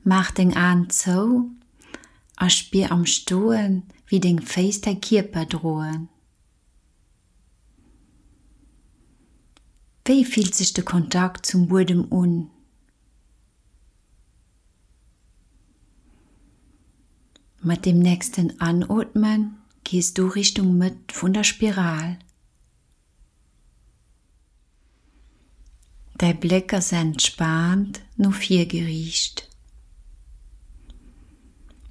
Maach deng Aen zou a spier am Stoen, wéi deng Féiss däi Kierper droen. Wéi fillt sech de Kontakt zum Buedem un? Mat dem nächsten Anootmen gees du Richtung Mëtt vun der Spiral. Däi Bléck ass entspaant no vir geriicht.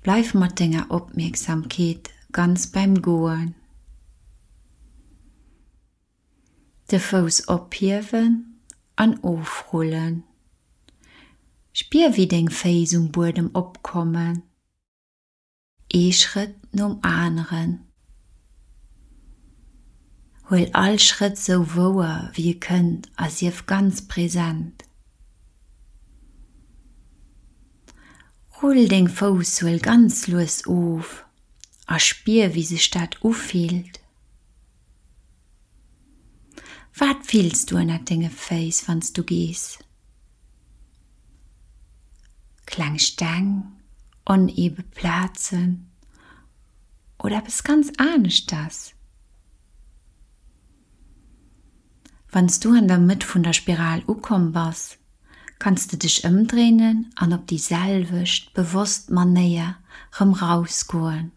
Bleif mat denger Opmierksamkeet ganz beim Goen. De Fouss ophiewen an ofrullen. Spier wéi deng Féiss um Buedem opkommen. Ee Schrëtt nom aneren. Huel all Schrëtt sou wouer wéi e kënnt a sief ganz present. Rull deng Foussuel ganz lues of a spier wéi sech dat ufillt. Wat fills du ënnert denge Féiss wann s du gees? Kleng Steng, onebe Plazen oder eppes ganz aneschters? Wann s du an der Mëtt vun der Spiral ukomm bass, kanns de dech ëmdréinen an op déi selwecht bewosst Manéier rëm rausgoen.